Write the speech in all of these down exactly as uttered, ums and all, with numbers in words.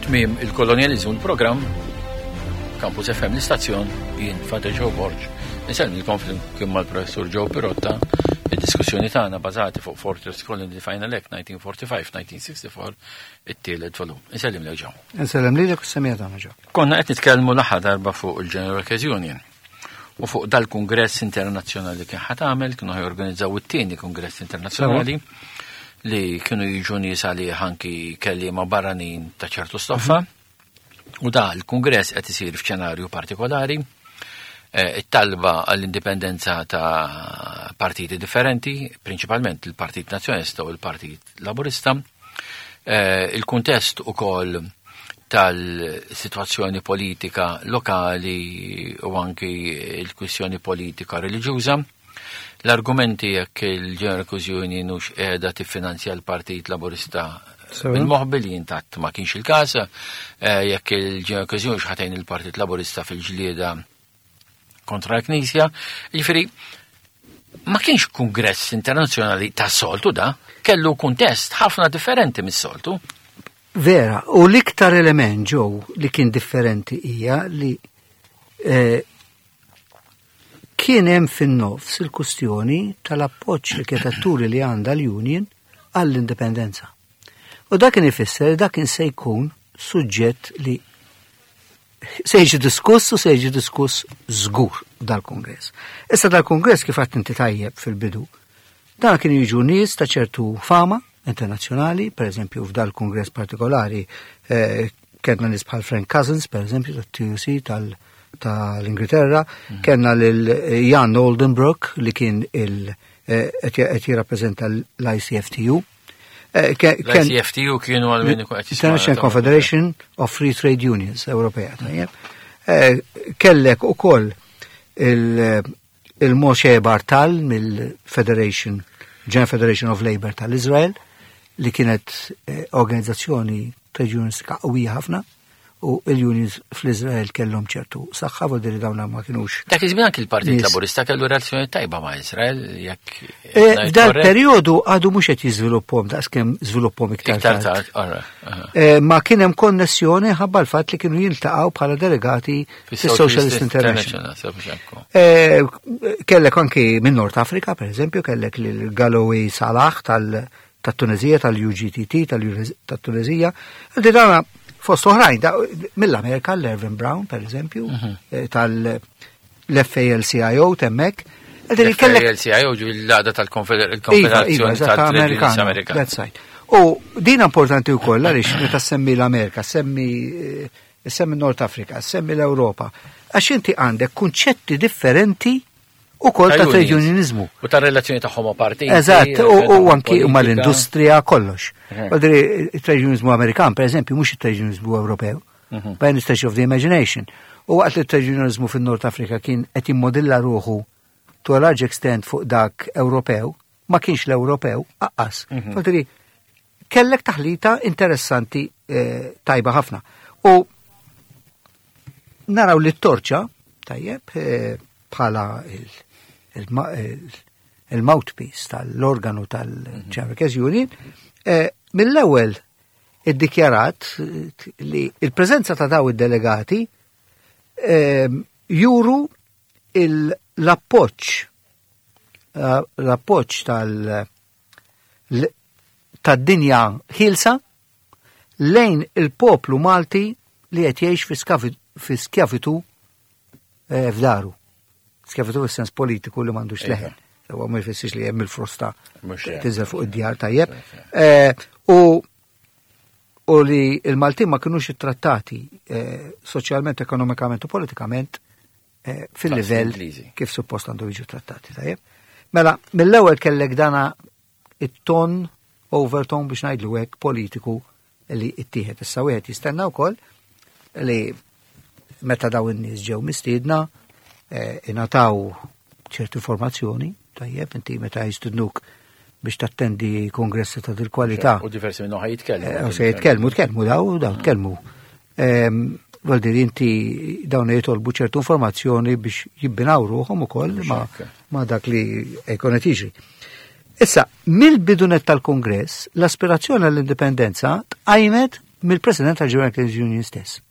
Tmiem il-kolonjaliżmu, l-programm Campus F M, l-istazzjon, jien Father Joe Borg. Insellmilkom flimkien mal-Professur Joe Pirotta, id-diskussjoni tagħna bażati fuq Fortress Colony, The Final Act nineteen forty-five nineteen sixty-four, it-tielet volum. Insellimlek, Joe. Insellem lilek u s-semmiegħa tagħna, Joe. Konna qed nitkellmu l-aħħar darba fuq il-General Workers Union u fuq dal-Kungress Internazzjonali kien ħa tagħmel, kienu jorganizzaw it-tieni Kungress Internazzjonali li kienu jiġu nies għalih, anki kelliema barranin ta' ċertu stoffa. U da l-Kungress qed isir f'xenarju partikolari, eh, it-talba għall-indipendenza ta' partiti differenti, prinċipalment il-Partit Nazzjonalista u l-Partit Laburista, eh, il-kuntest ukoll tal-situazzjoni politika lokali u anki il-kwistjoni politika reliġjuża. L-argumenti jekk il-General Workers Union hux qiegħda tiffinanzja l-Partit Laburista Sewa. bil-moħbi, li intatt ma kienx il-każ, eh, jekk il-General Workers Union ħa tgħin il-Partit Laburista fil-ġlieda kontra l-Knisja. Jiġifieri, ma kienx kongress internazzjonali ta' soltu da, kellu kuntest ħafna differenti mis-soltu. Vera, u l-iktar element, Joe, li kien differenti hija li eh, kien hemm fin-nofs il-kustjoni tal-appoġġ li kienet turi li għandha l-Union għall-indipendenza. U dak kien ifisser dak kien se jkun suġġett li se jiġi diskuss u se jiġi diskuss żgur dal-kongress. Issa dal-kongress, kif għedt inti tajjeb fil-bidu, dan kienu jiġu nies ta' ċertu fama internazzjonali, per eżempju f'dal-kongress partikolari eh, kellna nies bħal Frank Cousins, per eżempju, tat-T U C tal- tal-Ingilterra, kellna lil Jan Oldenbroek li kien il eh, qed jirrappreżenta l-I C F T U. Eh, ke- ken- L-I C F T U kienu għal min ikun qed jisma' International Confederation of Free Trade Unions Ewropea. Tajjeb. Eh, Kellek ukoll il- il-Moshe Bartal mill-Federation, General Federation of Labour tal-Izrael, li kienet eh, organizzazzjoni trade unionistika qawwija ħafna u il-unions fl-Izrael kellhom ċertu saħħa, vuol dire dawna ma kienux. Dak iż-żmien anki il-Partit Nies. Laburista kellu relazzjoni tajba ma' Izrael, jekk Eh, ngħid F'dal korrett. periodu għadu mhux qed jiżviluppahom daqs kemm żviluppahom iktar Iktar tard. tard, ora, aha. Eh, ma kien hemm konnessjoni ħabba l-fatt li kienu jiltaqgħu bħala delegati fis-Socialist International. International, sew. Eh, Kellek anki minn Nord Afrika, per eżempju, kellek lil Galloway Salah tal- tat-Tunezija, tal-U G T T, tal-Tunezija. Di dana fost oħrajn, da- mill-Amerika, l-Ervin Brown, per eżempju, eh, tal-F A L C I O temmek. Għaddi kellek L-C I O ġu l-għaqda Iva, tal-Konfederazzjoni iva, eżatt, tal-Trade Unions Amerikana. Amerikana. That's right. U din importanti wkoll għaliex meta semmi l-Amerika, semmi eh, semmi Nord Afrika, semmi l-Ewropa, għax inti għandek kunċetti differenti ukoll ta' trade unionizmu. U ta' relazzjoni tagħhom ma' partiti. Eżatt, u, u anki politika. mal-industrija, kollox. Mhm. Għadri, il-trade unionizmu Amerikan, per eżempju, mhux il-trade unionizmu Ewropew, Mhm. by any stretch of the imagination. U waqt li trade unionizmu fin-Nord Afrika kien qed jimmodilla ruħu to a large extent fuq dak Ewropew, ma kienx l-Ewropew, aqqas. Mhm. Għadri, kellek taħlita interessanti eh, tajba ħafna. U naraw li t-torċa, tajjeb, eh, bħala il- il- il- il-mouthpiece tal-organu tal-General Workers Union, eh, mill-ewwel iddikjarat eh, li il-preżenza ta' daw id-delegati eh, juru il- l-appoġġ eh, l-appoġġ tal- l- tad-dinja ħielsa lejn il-poplu Malti li qed jgħix fi skavi- fi skjavitu eh, f'daru. Skjavitu fis-sens politiku li m'għandux Iva. leħen. Huwa ma jfissirx li hemm il-frosta Mhux hekk. tinżel fuq id-djar, tajjeb. Eh, U u li il-Maltin ma kinux ittrattati eh, soċjalment, ekonomikament u politikament eh, fil-livell Ingliżi. kif suppost għandu jiġu trattati, tajjeb. Mela, mill-ewwel kellek dana it-ton, overton biex ngħidlu hekk, politiku li ittieħed. Issa wieħed jistenna wkoll li meta daw in-nies ġew mistiedna eh, ingħataw ċertu informazzjoni, tajjeb, inti meta jistidnuk biex tattendi kongressi ta' dil-kwalità. U diversi minnhom ħa jitkellmu. Eh, U se jitkellmu, tkellmu daw, daw tkellmu. Ehm, Vuol dire inti dawn jitolbu ċertu informazzjoni biex jibbinaw ruħhom ukoll ma, ma dak li jkun qed jiġri. Issa, mill-bidunet tal-Kongress, l-aspirazzjoni għall-indipendenza tqajmet mill-President tal-General Workers Union stess,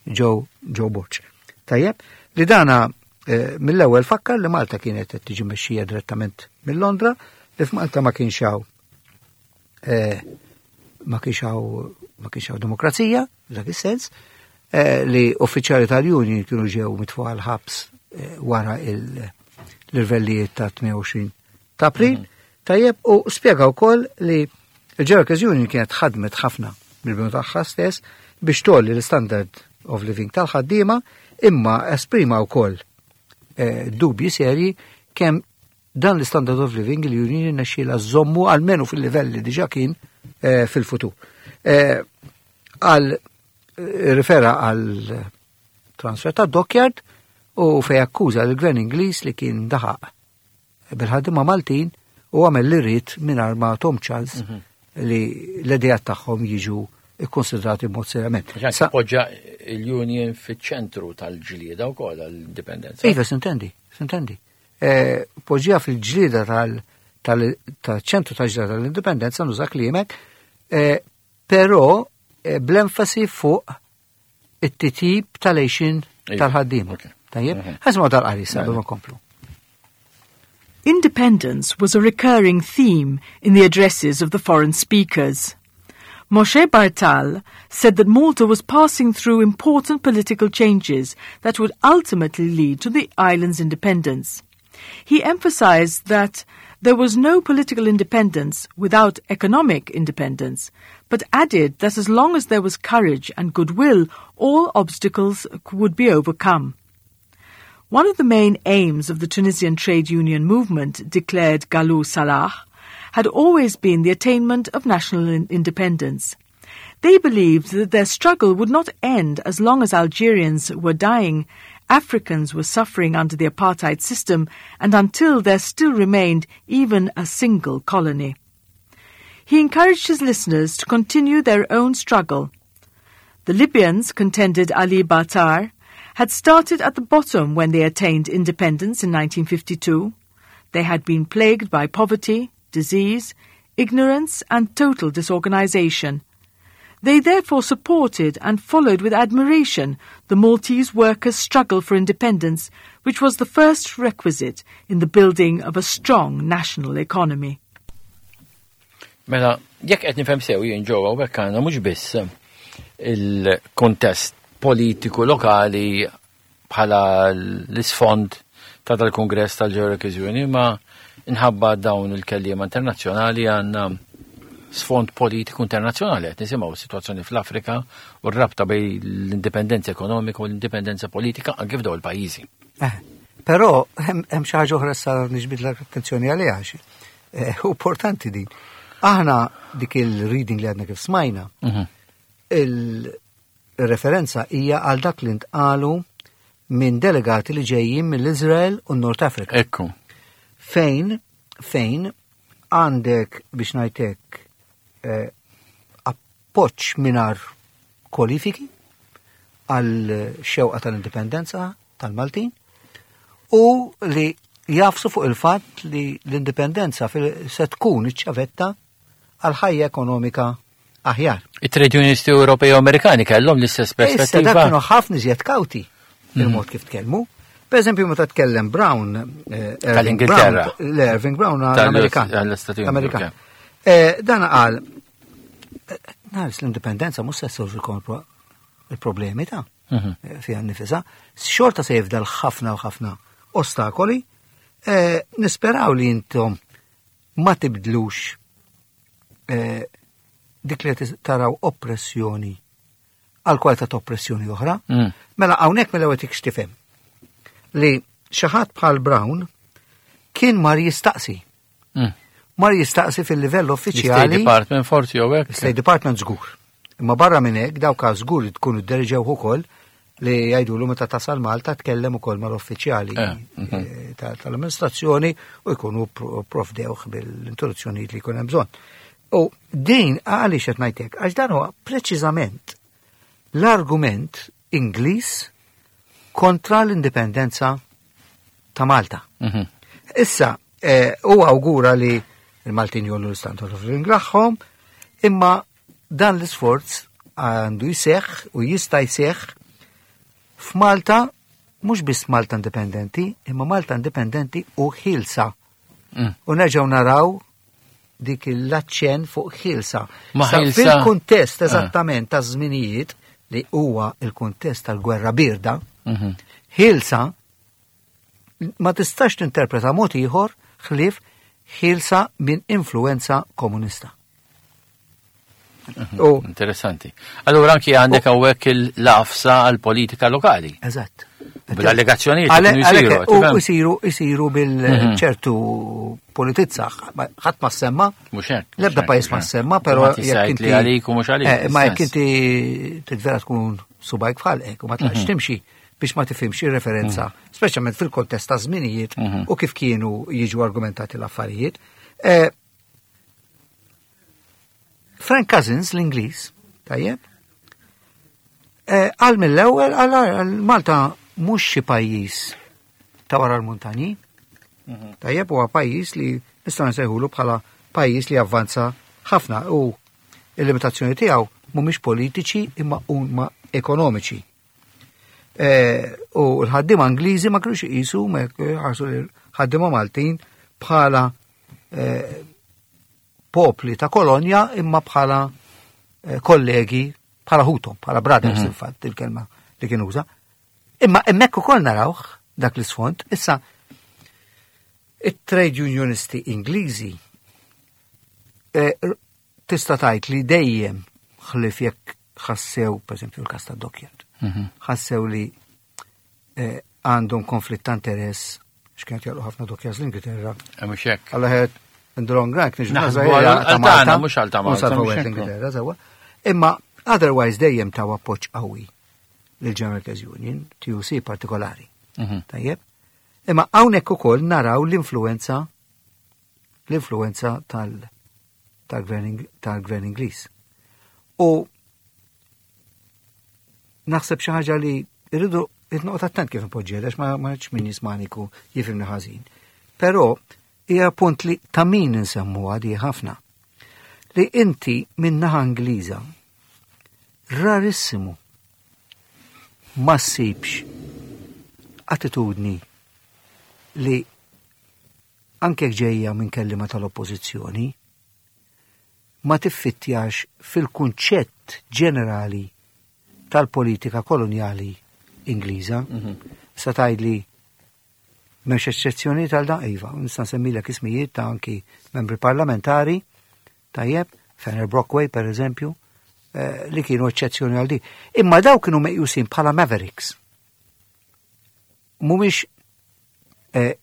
Joe Joe Borg. Tajjeb, li dana eh, mill-ewwel fakkar li Malta kienet qed tiġi mexxija direttament mill-Londra, li f'Malta ma kienx hawn eh, ma kienx hawn ma kienx hawn demokrazija, f'dak is-sens, eh, li uffiċjali tal-Union kienu ġew mitfuqa l-ħabs eh, wara il- l-irvellijiet ta' tmienja u għoxrin ta' April. Tajjeb, u spjega wkoll li il-General Workers Union kienet ħadmet ħafna mill-bidu tagħha stess biex tgħolli l-standard of living tal-ħaddiema, imma esprima wkoll eh, dubji serji kemm dan l-standard of living il-union irnexxielha żżommu almenu fil-livell li diġa kien eh, fil-futur. Eh, Għal eh, rifera għal transfer ta' dockyard u fej akkuża l-gvern Ingliż li kien daħaq bil-ħaddiema Maltin u għamel li ried mingħajr ma tahom ċans li l-idejat tagħhom jiġu ikkonsidrati b'mod serjament. Sa poġġa il-Union fiċ-ċentru tal-ġlieda wkoll għall-indipendenza. Iva, s'intendi, s'intendi. Eh, Poġġiha fil-ġlieda tal-ċentru tal-ġlieda tal-indipendenza, nuża kliemek, eh, però eh, bl-enfasi fuq it-titjib tal-għixien Iva, tal-ħaddiema. ok. Tajjeb, Mhm. ħa nisimgħu dal-qari sa Mela. ma nkomplu. Independence was a recurring theme in the addresses of the foreign speakers. Moshe Bartal said that Malta was passing through important political changes that would ultimately lead to the island's independence. He emphasized that there was no political independence without economic independence, but added that as long as there was courage and goodwill, all obstacles would be overcome. One of the main aims of the Tunisian trade union movement, declared Galou Salah, had always been the attainment of national in- independence. They believed that their struggle would not end as long as Algerians were dying, Africans were suffering under the apartheid system, and until there still remained even a single colony. He encouraged his listeners to continue their own struggle. The Libyans, contended Ali Batar, had started at the bottom when they attained independence in nineteen fifty-two. They had been plagued by poverty, disease, ignorance, and total disorganization. They therefore supported and followed with admiration the Maltese workers' struggle for independence, which was the first requisite in the building of a strong national economy. Mela, jekk qed nifhem sew jien ġewwa hawnhekk għandna mhux biss il-kontest politiku lokali bħala l-isfond ta' dal-Kongress tal-General Union, ma inħabba dawn il-kelliema internazzjonali għandna sfond politiku internazzjonali. Qed nisimgħu s-sitwazzjoni fl-Afrika u r-rabta bejn l-indipendenza ekonomika u l-indipendenza politika anke f'dawn il-pajjiżi. Eh, però hemm hemm xi ħaġa oħra sa niġbid l-attenzjoni għaliha għax eh, importanti din. Aħna dik il-reading li għadna kif smajna, il-referenza hija għal dak li ntqalu minn delegati li ġejjin mill-Izrael u North Africa. Ekku. Fejn, fejn għandek biex ngħidlek eh, appoġġ mingħajr kwalifiki għal xewqa tal-indipendenza tal-Maltin u li jagħfsu fuq il-fatt li l-indipendenza fil- se tkun iċ-ċavetta għal ħajja ekonomika aħjar. It-trade unionisti Ewropej u Amerikani kellhom l-istess Issa dak perspettiva. kienu ħafna iżjed kawti il-mod kif tkellmu. Per eżempju, meta tkellem Brown, eh, Irving Tal-Ingilterra. Brown, le, Irving Brown Tal- l-Amerikan. Tal-Istati Uniti, Amerikan. ok. Eh, Dan qal, eh, naris l-indipendenza mhux se ssolvi il-problemi ta' Mhm. eh, fiha nnifisha. Xorta se jifdal ħafna u ħafna ostakoli. Eh, Nisperaw li intom ma tibdlux eh, dik li taraw oppressjoni għal kwalità ta' oppressjoni oħra. Mm. Mela hawnhekk mela qed tifhem li xi ħadd bħal Brown kien mar jistaqsi. Mm. Mar jistaqsi fil-livell L-State uffiċjali. Department forsi jew hekk. State Department żgur. Imma barra minn hekk dawk żgur li tkunu dderiġew ukoll li jgħidulu meta tasal Malta tkellem ukoll mal-uffiċjali Eh, mhm. eh, ta- tal-amministrazzjoni u jkunu pro- provdewh bil-introduzzjonijiet li jkun hemm bżonn. U din għaliex qed ngħidlek, għax dan huwa preċiżament l-argument Ingliż kontra l-indipendenza ta' Malta. Mhm. Issa, eh, u awgura li il-Maltin jgħollu l-standard of living tagħhom, imma dan l-isforz għandu jseħħ u jista' jseħħ f'Malta, mhux biss Malta indipendenti, imma Malta indipendenti u ħielsa. Mm. U nerġgħu naraw dik l-aċċen fuq ħielsa. Ma Sa ħielsa- Fil-kuntest Ah. eżattament ta' żminijiet li huwa il-kuntest tal-gwerra birda, Mhm. ħielsa ma tistax tinterpreta mod ieħor ħlief ħielsa minn influenza komunista. U Interessanti. Allura anki għandek hawnhekk il-lafsa għal-politika lokali. eżatt. Bl-allegazzjonijiet Għale- kienu jsiru, għalhekk, U tifhem? jsiru jsiru bil-ċertu politizza, ħadd ma semma, Mhux hekk. mhux l-ebda hekk, pajjiż ma mhux hekk. semma, però Ma tista' jekk jgħid li għalik u mhux għalik. Eh, Ma jekk fis-sens. inti titvera tkun subajk f'ħalqek u ma tlaqx timxi biex ma tifhimx ir-referenza, speċjalment fil-kontest ta' żminijiet Mhm. u kif kienu jiġu argumentati l-affarijiet. Eh, Frank Cousins, l-Ingliż, tajjeb, eh, għal mill-ewwel għal għal Malta mhux xi pajjiż ta' wara l-muntanji. Tajjeb huwa pajjiż li nistgħu nsejħulu bħala pajjiż li avvanza ħafna u il-limitazzjoni tiegħu mhumiex politiċi imma huma ekonomiċi. Eh, u l-ħaddiema Ingliżi ma kinux iqisu ma ħarsu l-ħaddiema Maltin bħala eh, popli ta' kolonja imma bħala eh, kollegi, bħala ħutom, bħala brothers il-fatt il-kelma li kien uża. Imma hemmhekk ukoll narawh dak l-isfond, issa it-trade unionisti Ingliżi eh, r- tista' tgħid li dejjem ħlif jekk ħassew, pereżempju l-każ tad-Dockyard, Mhm. ħassew li eh, għandhom konflitt ta' interess x'kienet jagħmlu ħafna dockyards l-Ingilterra. Eh, Mhux hekk. Alla ħed in the long run, kien Naħsbu għal- għal tagħna, mhux għal ta' Malta, mhux hekk. l-Ingilterra, sewwa. Imma otherwise dejjem taw appoġġ qawwi lil General Workers Union, T U C partikolari. Mhm. Tajjeb. Imma hawnhekk ukoll naraw l-influenza l-influenza tal tal-gvern Ing- tal-gvern Ingliż. U naħseb xi ħaġa li rridu noqgħod attent kif inpoġġiha għax ma ma rridx min jismaniku jifhimni ħażin. Però hija punt li ta' min insemmuha di ħafna. Li inti minn naħa Ingliża rarissimu ma ssibx attitudni li anke jekk ġejja minn kellima tal-oppożizzjoni ma tiffittjax fil-kunċett ġenerali tal-politika koloniali Ingliża. Sa tgħidli m'hemmx eċċezzjoni tal da iva, nista' nsemmilek ismijiet ta' anki membri parlamentari, tajjeb, Fenner Brockway per eżempju, eh, li kienu eċċezzjoni għal di. Imma daw kienu meqjusin bħala mavericks. Mhumiex eh,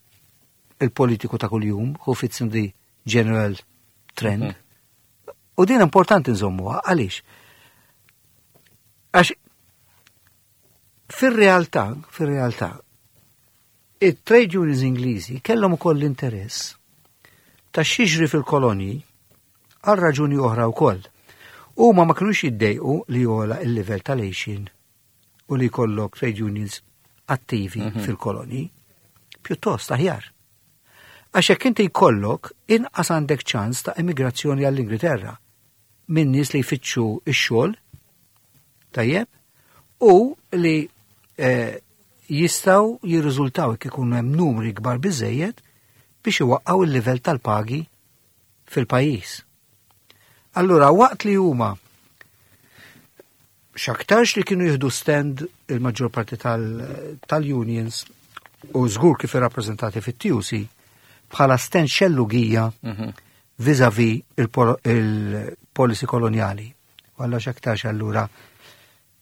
il-politiku ta' kuljum, who fits in the general trend. U din importanti nżommuha, għaliex? Għax fir-realtà, fir-realtà, it-trade unions Ingliżi kellhom ukoll l-interess ta' x'jiġri fil-kolonji għal raġuni oħra wkoll. Huma ma kinux jiddejqu li jogħla il-livell tal-għixien u li jkollok trade unions attivi fil-kolonji, pjuttost aħjar. Għax jekk inti jkollok inqas għandek ċans ta' emigrazzjoni għall-Ingilterra minn nies li jfittxu x-xogħol, tajjeb, u li eh, jistgħu jirriżultaw jekk ikunu hemm numri kbar biżejjed biex iwaqqgħu il-livell tal-pagi fil-pajjiż. Allura waqt li huma x'aktarx li kienu jieħdu stand il-maġġor parti tal- tal-unions u żgur kif irrappreżentati fit-T U C bħala stand xellugija vis-a-vis il-policy koloniali. U allura x'aktarx allura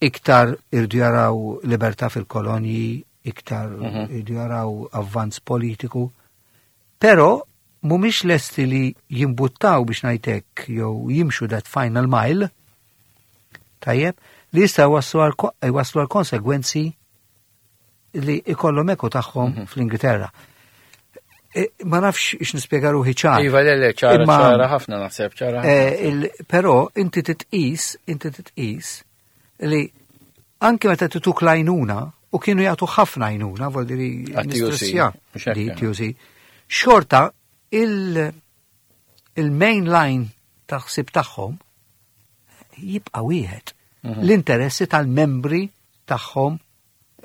iktar irdu jaraw libertà fil-kolonji, iktar irdu jaraw avvanz politiku, però mhumiex lesti li jimbuttaw biex ngħidlek jew jimxu that final mile, tajjeb, li jista' waslu għal waslu għal konsegwenzi li ikollhom eku tagħhom fl-Ingilterra. E, ma nafx ix nispjega ruħi ċar. Iva, le, le, ċara, Imma- ċara ħafna naħseb, ċara. ħafna. Eh, il- Però inti titqis, inti titqis li anke meta tituk l-għajnuna, u kienu jagħtu ħafna għajnuna, vuol dire Għat-T U C, nistressja mhux hekk, di eh. T U C, xorta il- il-main line ta' ħsib tagħhom jibqa' wieħed. l-interessi tal-membri tagħhom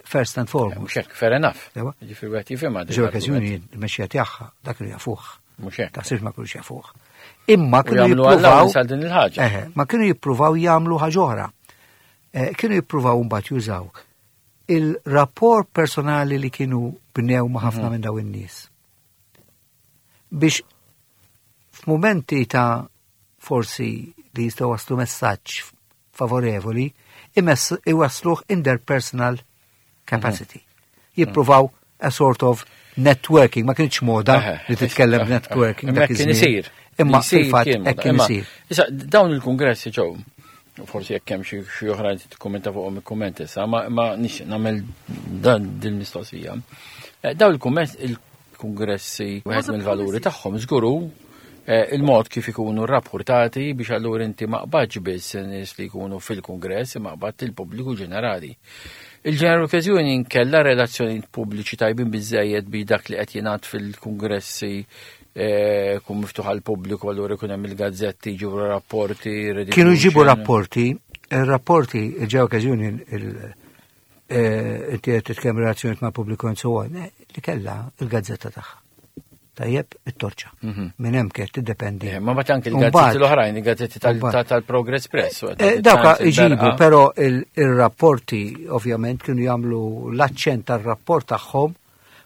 first and foremost. Mhux hekk, fair enough. Ewa. Ġifieri wieħed jifhimha din Ġew l-argument. okkażjoni il-mexxija tagħha dak li jafuh. Mhux hekk. Taħsibx ma kinux jafuh. Imma U kienu jagħmlu jippruvaw allowance għal din il-ħaġa. Eħe, ma kienu jippruvaw jagħmlu ħaġa oħra. Eh, Kienu jippruvaw mbagħad jużaw il-rapport personali li kienu bnew ma' ħafna Mhm. minn daw in-nies. Biex f'mumenti ta' forsi li jistgħu waslu messaġġ favorevoli, imess iwasluh in their personal capacity. Jippruvaw a sort of networking, ma kienx moda Eħe, li titkellem eħe, networking. Imma dak kien iż-żmien. isir. Imma Isir fil-fatt kien hekk moda. kien Imma, isir. Issa, dawn il-kongressi ġew, forsi jekk hemm xi xi oħrajn tikkummenta fuqhom ikkummenta issa, ma ma nix nagħmel dan din mistoqsija. Eh, Dawn il-kumment il-kongressi wieħed mill-valuri tagħhom żguru eh, il-mod kif ikunu rapportati biex allura inti ma qbadx biss nies li jkunu fil-kongress imma qbadt il-pubbliku ġenerali. Il-General Workers Union kella relazzjoni pubbliċi tajbin biżejjed bi dak li qed jingħad fil-kongressi eh, kun miftuħ għal pubbliku allura jkun hemm il-gazzetti jġibu rapporti. Kienu jġibu redistribution. rapporti, il-rapporti, il-General Workers Union, il- eh, inti qed titkellem relazzjonijiet ma' pubbliku and so on, eh, li kella il-gazzetta tagħha. Tajjeb, it-torċa. Minn hemm kienet tiddependi. Eh, Ma mbagħad anke Mbagħad- il-gazzetti l-oħrajn, il-gazzetti tal- Mbagħad- tal- tal-Progress Press. u Eh, tal- Dawka Times, iġibu, il-Berqa. però il- il-rapporti ovvjament kienu jagħmlu l-aċċent tar-rapport tagħhom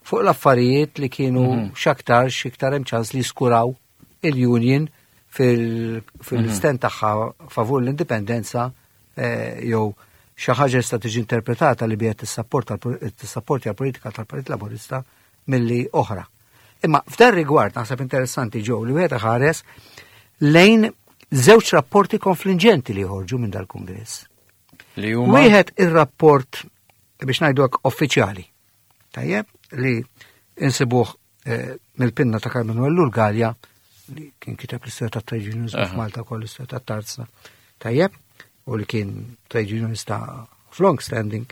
fuq l-affarijiet li kienu x'aktar x'iktar hemm ċans li skuraw il-union fil- fil-stand tagħha favur l-indipendenza eh, jew xi ħaġa tista' tiġi interpretata li biha tissapporta tissapporti għall-politika tal-Partit Laburista milli oħra. Imma f'dan rigward naħseb interessanti ġew li wieħed ħares lejn żewġ rapporti konfliġenti li joħorġu minn dal-Kungress. Li huma Wieħed ir-rapport biex ngħidu hekk uffiċjali. Tajjeb li insibuh eh, mill-pinna ta' Karmenu Ellul Galea li kien kiteb l-istorja ta' trade unionism Aha. f'Malta wkoll l-istorja ta' Tarzna. Tajjeb, u li kien trade unionista of long standing.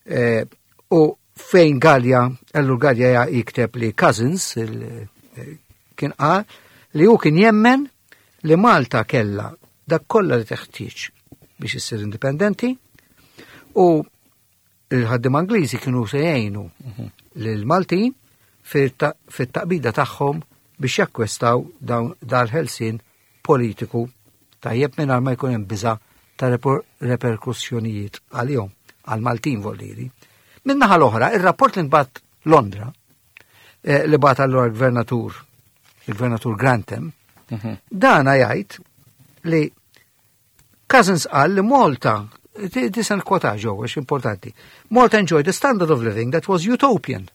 Eh, u fejn Galea, Ellul Galea jikteb li Cousins il- eh, kien qal li hu kien jemmen li Malta kella dak kollha li teħtieġ biex issir indipendenti u il-ħaddim Angliżi kienu se jgħinu lil-Maltin fit-taqbida tagħhom biex jakkwestaw dawn dal-ħelsien politiku tajjeb mingħajr ma jkun hemm biża' ta' reper- reperkussjonijiet għalihom għal-Maltin voldiri. Min-naħa l-oħra, ir-rapport li nbat Londra, eh, li bat allura l-gvernatur, il-gvernatur Grantham, dana jgħid li Cousins qal li Malta, di san kwota ġew, għax importanti, Malta enjoyed a standard of living that was utopian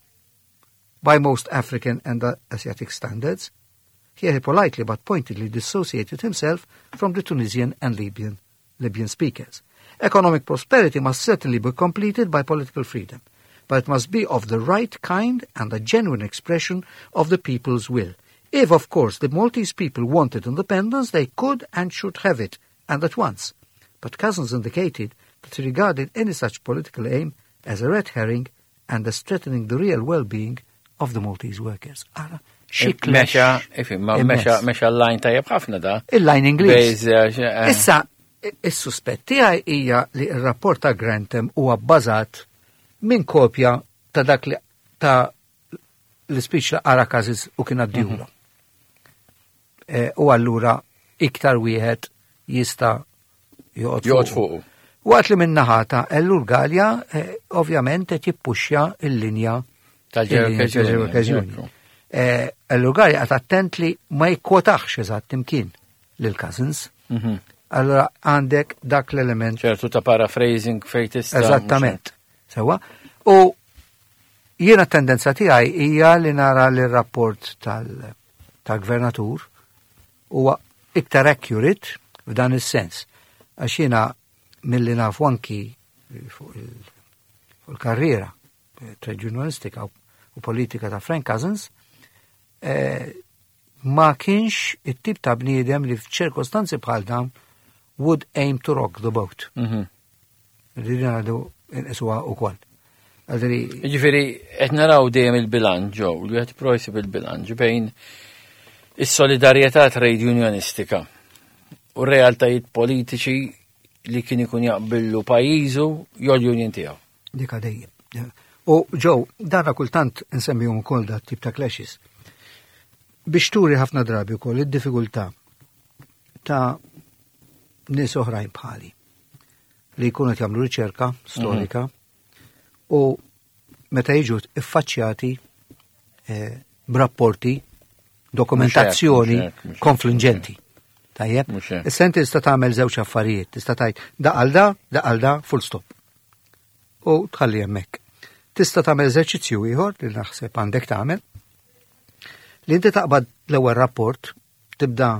by most African and Asiatic standards. Here he politely but pointedly dissociated himself from the Tunisian and Libyan, Libyan speakers. Economic prosperity must certainly be completed by political freedom, but it must be of the right kind and a genuine expression of the people's will. If, of course, the Maltese people wanted independence, they could and should have it, and at once. But Cousins indicated that he regarded any such political aim as a red herring and as threatening the real well-being of the Maltese workers. Ara, xi clash Mexa, ifim, ma immens. mexa, mexa l-line tajjeb ħafna da. Il-line Ingliż. Bejz, eh, Issa, is-suspett tiegħi hija li r-rapport ta' Grantham huwa bbażat minn kopja ta' dak li ta' l-speech li qara Cousins u kien għaddihulu. Eh, U allura iktar wieħed jista' joqgħod Joqgħod fuqu. Waqt li minn naħa ta' Ellul Galea, eh, ovvjament qed jippuxja il-linja Tal-General il-linja Workers Union, Workers Union. ekku. Eh, Ellul Galea qed attent li ma jikkwotax eżatt imkien lil Cousins. Mhm. Allora għandek dak l-element ċertu ta' paraphrasing fej tista' Eżattament. Sewa. U jiena tendenza tiegħi hija li nara li r-rapport tal- tal-gvernatur huwa iktar accurate f'dan is-sens. Għax jiena milli nafu anki fuq il- fuq il-karriera eh, trade unionistika u u politika ta' Frank Cousins, eh, ma kienx it-tip ta' bniedem li f'ċirkostanzi bħal dawn would aim to rock the boat. Mhm. Rridu ngħidu nqisuha wkoll. Għadri, Ġifieri, qed naraw dejjem il-bilanċ ġew, li qed projsi bil-bilanċ bejn is-solidarjetà trade unionistika u realtajiet politiċi li kien ikun jaqbillu pajjiżu jew l-union tiegħu. Dika dejjem. U ġew, dana kultant insemmihom ukoll dat tip ta' clashes. Biex turi ħafna drabi wkoll id-diffikultà ta' nies oħrajn bħali li jkunu qed jagħmlu riċerka storika u meta jiġu iffaċċjati eh, b'rapporti, dokumentazzjoni Mhux hekk, mhux hekk, mhux hekk. konfliġġenti. Tajjeb? Mhux hekk. Issa inti tista' tagħmel żewġ affarijiet, tista' tgħid da għal da, da għal da, full stop. U tħalli hemmhekk. Tista' tagħmel eżerċizzju ieħor li naħseb għandek tagħmel li inti taqbad l-ewwel rapport, tibda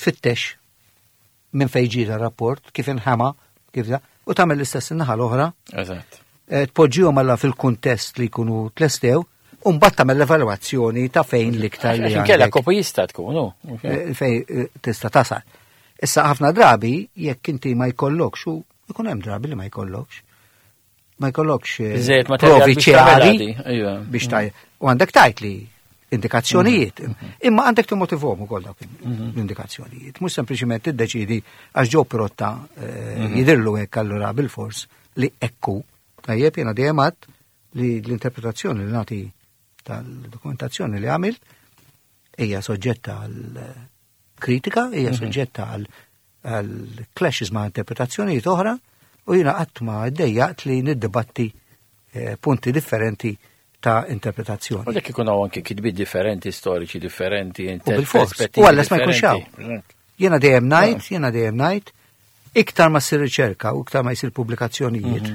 tfittex minn fejn ġie rapport, kif inħama, kif da, u tagħmel l-istess in-naħa l-oħra, Eżatt. eh, tpoġġihom alla fil-kuntest li jkunu tlestew, u mbagħad tagħmel l-evalwazzjoni ta' fejn l-iktar li Għax inkella għandek, kopjista tkun, hu. eh, fejn eh, tista' tasal. Issa ħafna drabi jekk inti ma jkollokx u ikun hemm drabi li ma jkollokx. Ma jkollokx eh, Biżżejjed materjal provi biex tagħmel ċari għadi, ejwa. biex taj. U għandek tajt li indikazzjonijiet. Imma għandek timmotivhom ukoll dawk l-indikazzjonijiet. Mhux sempliċiment tiddeċidi għax ġew Pirotta eh, jidirlu hekk allura bil-fors li ekku. Tajjeb jiena dejjem għadt li l-interpretazzjoni li nagħti tal-dokumentazzjoni li għamilt hija soġġetta għal eh, kritika, hija soġġetta għal għal clashes ma' interpretazzjonijiet oħra u jiena qatt ma ddejjaqt li niddibatti eh, punti differenti ta' interpretazzjoni. U dak ikun hawn anke kitbiet differenti, storiċi differenti, U bil-fors. U għalles ma jkunx hawn. Jiena dejjem ngħid, jiena dejjem ngħid, iktar ma ssir riċerka u iktar ma jsir pubblikazzjonijiet,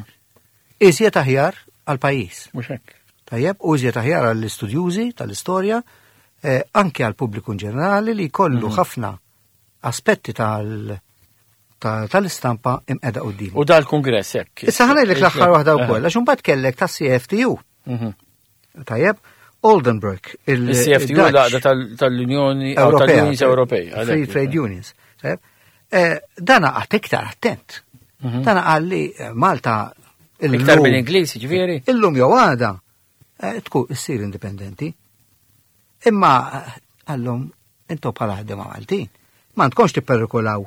iżjed aħjar għal pajjiż. Mhux hekk. Tajjeb, u iżjed aħjar għall-istudjużi tal-istorja, eh, anke għal pubbliku in ġenerali li jkollu ħafna aspetti tal- ta- tal-istampa imqeda quddiem. U dal-kongress hekk. Issa ħa ngħidlek l-aħħar waħda wkoll, għax imbagħad kellek ta' C F T U. Mhm. Tajjeb, Oldenburg, il- Il-C F T U il-Dutch l-għaqda tal- tal-Unjoni Ewropea, tal-Unions Ewropej. Free Trade Unions. Tajjeb. Eh, Dana għat iktar attent. Dana qal li eh, Malta Mhm. Iktar illum- mill-Ingliż, ġifieri. Illum jew għada eh, tkun issir indipendenti. Imma eh, għallhom intom bħala ħaddiema Maltin. Ma tkunx tipperikolaw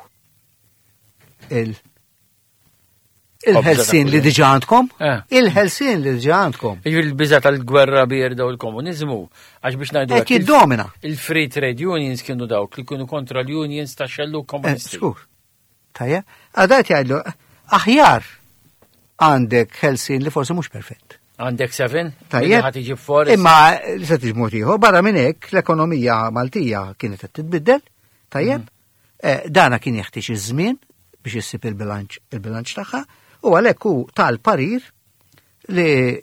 il il-ħelsien li diġà għandkom, Eh. il-ħelsien li diġà għandkom. Jiġifieri l-biża tal-gwerra bierda u l-komuniżmu, għax biex ngħidu Qed hekk, il- jiddomina. Il-Free Trade Unions kienu dawk li kienu kontra l-unions ta' xellu Eh, komunisti. Skur. Tajja, għadat jgħidlu, aħjar għandek ħelsien li forsi mhux perfett. Għandek seven? Tajjeb. Ħa tiġi forest. Imma li se tiġi mod ieħor, barra minn hekk l-ekonomija Maltija kienet qed titbiddel, tajjeb. Eh, Dana kien jeħtieġ iż-żmien biex issib il-bilanċ il-bilanċ tagħha u għalhekk hu tal-parir li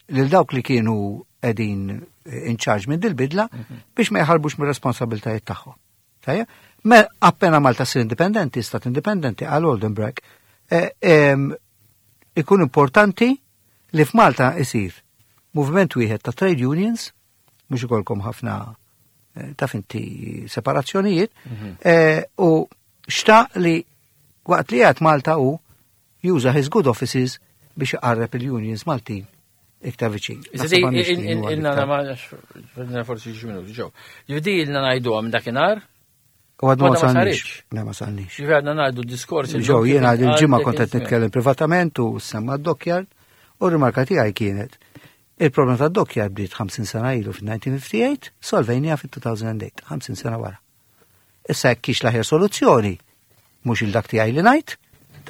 lil dawk li kienu qegħdin in charge minn dil-bidla biex ma jħarbux mir-responsabiltajiet tagħhom. Tajjeb? Me appena Malta ssir indipendenti, stat indipendenti għal Oldenburg, eh, em, ikun importanti li f'Malta isir movement wieħed ta' trade unions, mhux ikolkom ħafna eh, taf inti separazzjonijiet, eh, u xtaq li waqt li għad Malta u juża his good offices biex iqarreb il-unions Maltin iktar viċin. Iżda Naħseb għandix kien huwa ilna l-iktar. ma forsi xi minuti ġew. Ġifieri ilna ngħidu minn dakinhar, U għadna ma Għadna ma salniex. saritx. Le, ma salniex. Ġifieri għadna ngħidu diskors. Ġew, jiena il-ġimgħa kont qed nitkellem privatament u semma d-dockyard u r-rimarka tiegħi kienet: il-problema ta' dockyard bdiet ħamsin sena ilu fil-elf disa' mija u ħamsa u ħamsin, solvejnija fil-elfejn u tmienja, ħamsin sena wara. Issa jekk kiex l-aħjar soluzzjoni, mhux il-dak tiegħi li ngħid,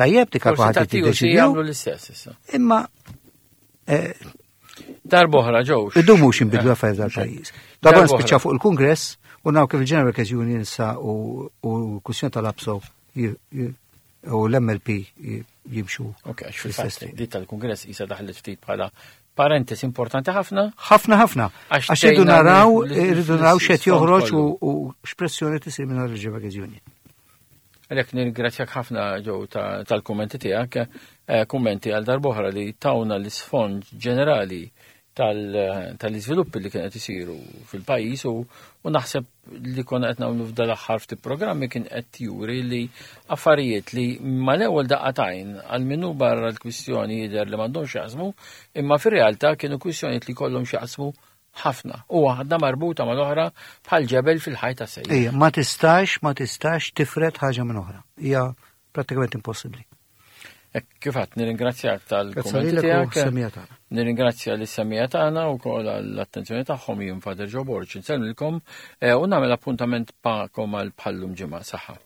tajjeb dik Forsi kulħadd ta' T U C jiddeċidiju, jagħmlu l-istess issa. Imma eh, Darb'oħra ġew. Iddu mhux inbidlu affarijiet dal-pajjiż. Darba Darb'oħra. nispiċċa fuq il-Kungress u naw kif il-General Workers Union sa u u kwistjoni tal-APSO ji- ji- u l-M L P ji- jimxu. Ok, għax fl-istess fil-fatt triq. di tal-Kungress isa daħlet ftit bħala parentesi importanti ħafna. Ħafna ħafna. Għax Għax irridu tgħinna naraw, li- irridu naraw x'qed l-isfond joħroġ kollu. u u x'pressjoni tisir minn il-General Workers Union. Għalhekk nirringrazzjak ħafna ġew ta- tal-kummenti tiegħek, eh, kummenti għal darb'oħra li tawna l-isfond ġenerali tal- tal-iżviluppi li kienet isiru fil-pajjiż u, u naħseb li konna qed nagħmlu f'dal aħħar ftit programmi kien qed juri li affarijiet li mal-ewwel daqqa t'għajn għal minnu barra l-kwistjoni jidher li m'għandhomx jaqsmu, imma fir-realtà kienu kwistjonijiet li kollhom x'jaqsmu ħafna u waħda marbuta mal-oħra bħal ġebel fil-ħajta sejja. Ejja, ma tistax, ma tistax tifred ħaġa minn oħra. Hija Prattikament impossibbli. Hekk kif għedt, nirringrazzjak Grazzi tal-kummenti lilek u tiegħek. semmiegħa tagħna. Nirringrazzja lis-semmiegħa tagħna u wkoll għall-attenzjoni tagħhom. Jien Father Joe Borg, insellmilkom eh, u nagħmel appuntament magħkom għal bħal-lum ġimgħa. Saħħa.